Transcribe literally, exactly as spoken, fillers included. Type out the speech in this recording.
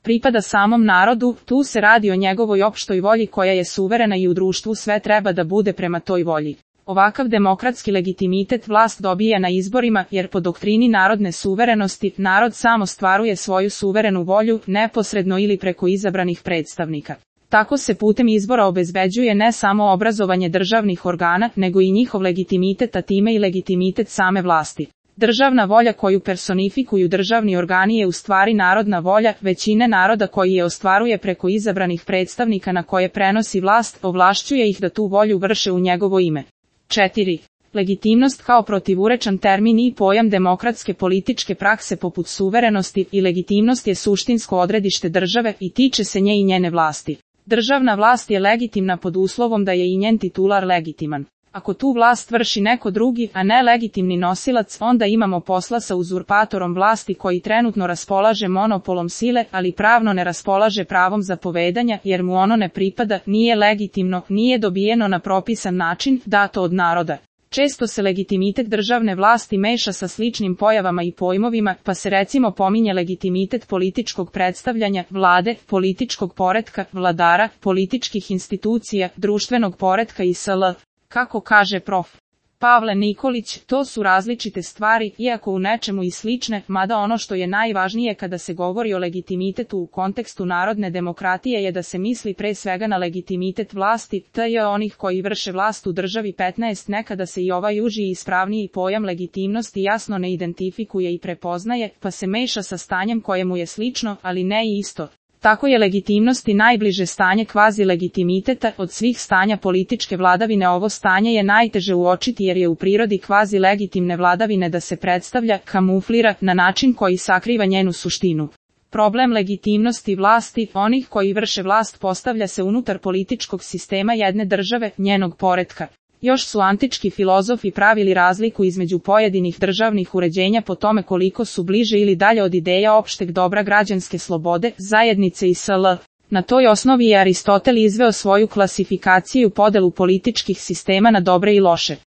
pripada samom narodu, tu se radi o njegovoj opštoj volji koja je suverena i u društvu sve treba da bude prema toj volji. Ovakav demokratski legitimitet vlast dobija na izborima jer po doktrini narodne suverenosti narod sam ostvaruje svoju suverenu volju neposredno ili preko izabranih predstavnika. Tako se putem izbora obezbeđuje ne samo obrazovanje državnih organa, nego i njihov legitimitet, a time i legitimitet same vlasti. Državna volja koju personifikuju državni organi je u stvari narodna volja većine naroda koji je ostvaruje preko izabranih predstavnika na koje prenosi vlast, ovlašćuje ih da tu volju vrše u njegovo ime. četiri. Legitimnost kao protivurečan termin i pojam demokratske političke prakse poput suverenosti i legitimnost je suštinsko odredište države i tiče se nje i njene vlasti. Državna vlast je legitimna pod uslovom da je i njen titular legitiman. Ako tu vlast vrši neko drugi, a ne legitimni nosilac, onda imamo posla sa uzurpatorom vlasti koji trenutno raspolaže monopolom sile, ali pravno ne raspolaže pravom zapovedanja jer mu ono ne pripada, nije legitimno, nije dobijeno na propisan način, dato od naroda. Često se legitimitet državne vlasti meša sa sličnim pojavama i pojmovima, pa se recimo pominje legitimitet političkog predstavljanja, vlade, političkog poretka, vladara, političkih institucija, društvenog poretka i sl. Kako kaže prof. Pavle Nikolić, to su različite stvari, iako u nečemu i slične, mada ono što je najvažnije kada se govori o legitimitetu u kontekstu narodne demokratije je da se misli pre svega na legitimitet vlasti, tj. onih koji vrše vlast u državi. petnaest Nekada se i ovaj uži i ispravniji pojam legitimnosti jasno ne identifikuje i prepoznaje, pa se meša sa stanjem kojemu je slično, ali ne i isto. Tako je legitimnosti najbliže stanje kvazi legitimiteta od svih stanja političke vladavine. Ovo stanje je najteže uočiti jer je u prirodi kvazi legitimne vladavine da se predstavlja, kamuflira, na način koji sakriva njenu suštinu. Problem legitimnosti vlasti, onih koji vrše vlast, postavlja se unutar političkog sistema jedne države, njenog poretka. Još su antički filozofi pravili razliku između pojedinih državnih uređenja po tome koliko su bliže ili dalje od ideja opšteg dobra građanske slobode, zajednice i sl. Na toj osnovi je Aristotel izveo svoju klasifikaciju podelu političkih sistema na dobre i loše.